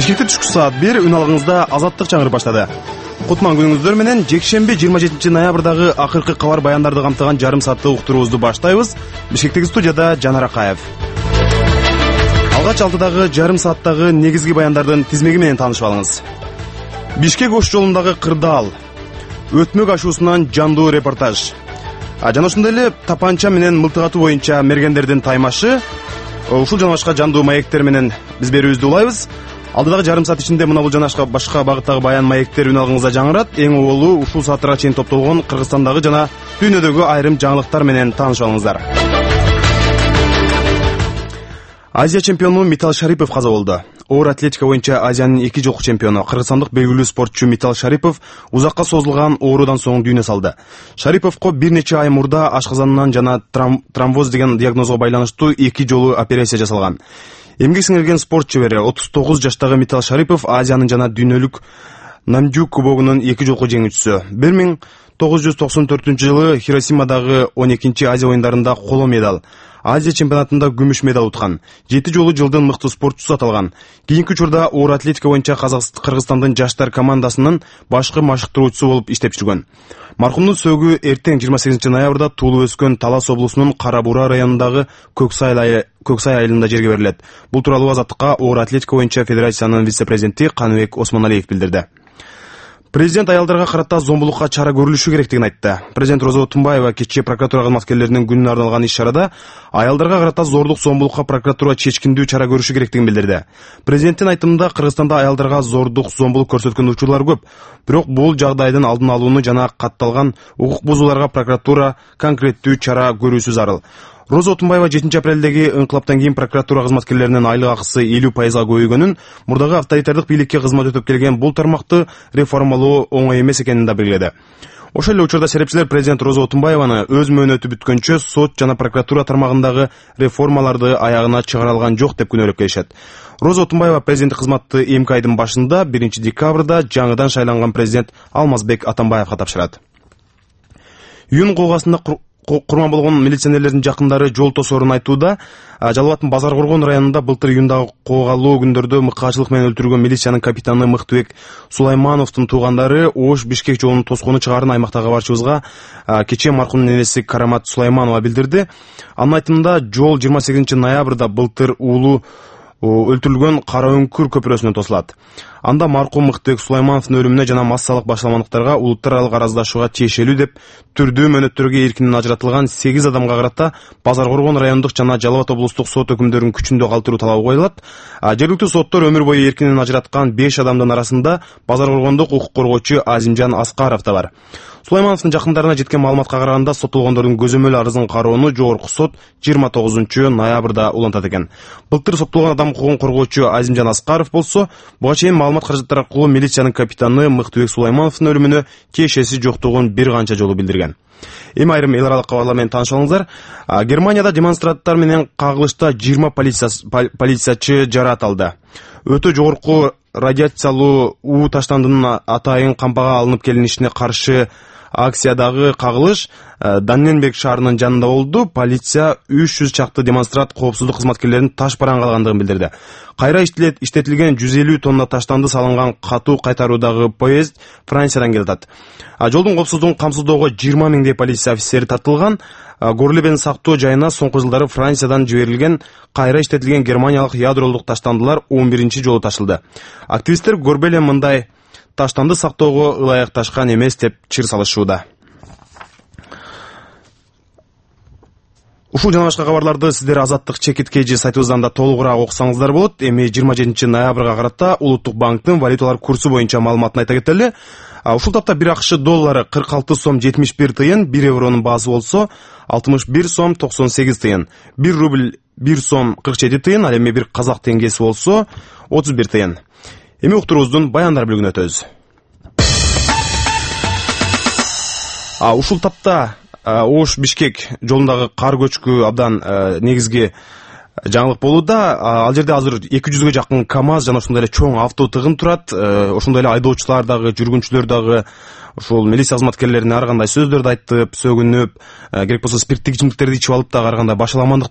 Бишкекте түшкү саат 1 үн алгыңызда азаттык чаңырып баштады. Кутман күнүңүздөр менен жекшемби 27 ноябрдагы акыркы кабар баяндарды камтыган жарым сааттык уктуруубузду баштайбыз. Бишкектеги студияда Жанар Акаев. Алгач 6дагы жарым сааттагы негизги баяндардын тизмеги менен таанышып алыңыз. Бишкек Ош жолундагы кырдаал. Өтмөк ашуусунан жандуу репортаж. Жана ошондой эле тапанча менен мылтык атуу боюнча мергендердин таймашы. Ушул жана башка жандуу маектер менен биз берүүбүздү улайбыз. Алдыдагы жарым саат ичинде мына бул жана башка багыттагы баян маектер үн алгыңызда жаңырат. Эң оболу ушул сааттарга чейин топтолгон Кыргызстандагы жана дүйнөдөгү айрым жаңылыктар менен таанышып алыңыздар. Азия чемпиону Митал Шарипов каза болду. Оор атлетика боюнча Азиянын 2 жолку чемпиону кыргызстандык белгилүү спортчу Митал Шарипов узакка созулган оорудан соң дүйнө салды. Шариповго бир нече ай мурда ашказанынан жана тромбоз деген диагнозго байланыштуу 2 жолу операция жасалган. Эмгек сиңирген спорт чебери 39 жаштагы Митал Шарипов Азиянын жана дүйнөлүк Намджу кубогунун 2 жолку жеңүүчүсү. 1994-жылы Хиросимадагы 12-чи Азия оюндарында коло медаль, Азия чемпионатында күмүш медаль уткан. 7 жолу жылдын мыкты спортчусу аталган. Кийинки учурда оор атлетика боюнча Кыргызстандын жаштар командасынын башкы машыктыруучусу болуп иштеп жүргөн. Маркумдун сөөгү эртең 28 ноябрда туулуп өскөн Талас облусунун Кара Бура районундагы Көксай айылында жерге берилет. Бул тууралуу Азаттыкка оор атлетика боюнча федерациянын вице-президенти Каныбек Осмоналиев билдирди. Президент аялдарга карата зомбулукка чара көрүлүшү керектигин айтты. Президент Роза Отунбаева кечээ прокуратура кызматкерлеринин күнүнө арналган иш-чарада аялдарга карата зордук зомбулукка прокуратура чечкиндүү чара көрүшү керектигин билдирди. Президенттин айтымында Кыргызстанда аялдарга зордук зомбулук көрсөткөн учурлар көп. Бирок бул жагдайдын алдын алууну жана катталган укук бузууларга прокуратура конкреттүү чара көрүүсү зарыл. Роза Отунбаева 7 апрелдеги ыңкылаптан кийин прокуратура кызматкерлеринин айлык акысы 50%га көбөйгөнүн, мурдагы авторитардык бийликке кызмат өтөп келген бул тармакты реформалоо оңой эмес экенин да белгиледи. Ошол эле учурда серепчилер президент Роза Отунбаеваны өз мөөнөтү бүткөнчө сот жана прокуратура тармагындагы реформаларды аягына чыгара алган жок деп күнөөлөп келишет. Роза Отунбаева президенттик кызматты эмки айдын башында 1 декабрда жаңыдан шайланган президент Алмазбек Атамбаевга тапшырат. Июнь куугасында курман болгон милиционерлердин жакындары жол тосоорун айтууда. Жалал Абадтын Базар Коргон районунда былтыр июндагы коогалуу күндөрдө мыкаачылык менен өлтүрүлгөн милициянын капитаны Мыктыбек Сулаймановдун туугандары Ош Бишкек жолунун тоскону чыгаарын аймактагы кабарчыбызга кечээ маркумдун энеси Карамат Сулайманова билдирди. Анын айтымында жол 28 ноябрда былтыр уулу өлтүрүлгөн Кара Өңкүр көпүрөсүнөн тосулат. Анда маркум Мыктыбек Сулаймановдун өлүмүнө жана массалык башаламандыктарга улуттар аралык араздашууга тиешелүү деп түрдүү мөөнөттөргө эркинен ажыратылган 8 адамга карата Базар Коргон райондук жана Жалал Абад облустук сот өкүмдөрүн күчүндө калтыруу талабы коюлат. Жергиликтүү соттор өмүр бою эркинен ажыраткан 5 адамдын арасында Базар Коргондук укук коргоочу Азимжан Аскаров да бар. Сулаймановдун жакындарына жеткен маалыматка караганда соттолгондордун көзөмөл арызын кароону жогорку сот 29 ноябрда улантат экен. Былтыр соттолгон адам укугун коргоочу Азимжан Аскаров болсо, буга чейин маалымат каражаттары аркылуу милициянын капитаны Мыктыбек Сулаймановдун өлүмүнө тиешеси жоктугун бир канча жолу билдирген. Эми айрым эл аралык кабарлар менен таанышып алыңыздар. Германияда демонстранттар менен кагылышта 20 полициячы жараат алды. Өтө жогорку радиациялуу уу таштандынын атайын кампага алынып келинишине каршы акциядагы кагылыш Данненберг шаарынын жанында болду. Полиция 300 чакты демонстрант коопсуздук кызматкерлеринин таш бараң калгандыгын билдирди. Кайра иштетилген 150 тонна таштанды салынган катуу кайтаруудагы поезд Франциядан келатат. Жолдун коопсуздугун камсыздоого 20 миңдей полиция офицери тартылган. Горлебен сактоо жайына соңку жылдары Франциядан жиберилген кайра иштетилген германиялык ядролук таштандылар 11-чи жолу ташылды. Активисттер көрбеле мындай таштанды сактоого ылайыкташкан эмес деп чыр салышууда. Ушул жана башка кабарларды сиздер Азаттык чекит KG сайтыбыздан да толугураак окусаңыздар болот. Эми 27 ноябрга карата Улуттук банктын валюталар курсу боюнча маалыматын айта кетели. Ушул тапта 1 акш доллары 46 сом 71 тыйын, 1 евронун баасы болсо 61 сом 98 тыйын, 1 рубль 1 сом 47 тыйын, ал эми 1 казак теңгеси болсо 31 тыйын. Эми уктуруубуздун баяндар бөлүгүнө өтөбүз. Ушул тапта Ош Бишкек жолундагы кар көчкү абдан негизги жаңылык болууда. Ал жерде азыр 200гө жакын КАМАЗ жана ошондой эле чоң авто тыгын турат. Ошондой эле айдоочулар дагы, жүргүнчүлөр дагы ушул милиция кызматкерлерине ар кандай сөздөрдү айтып, сөгүнүп, керек болсо спирттик ичимдиктерди ичип алып дагы ар кандай башаламандык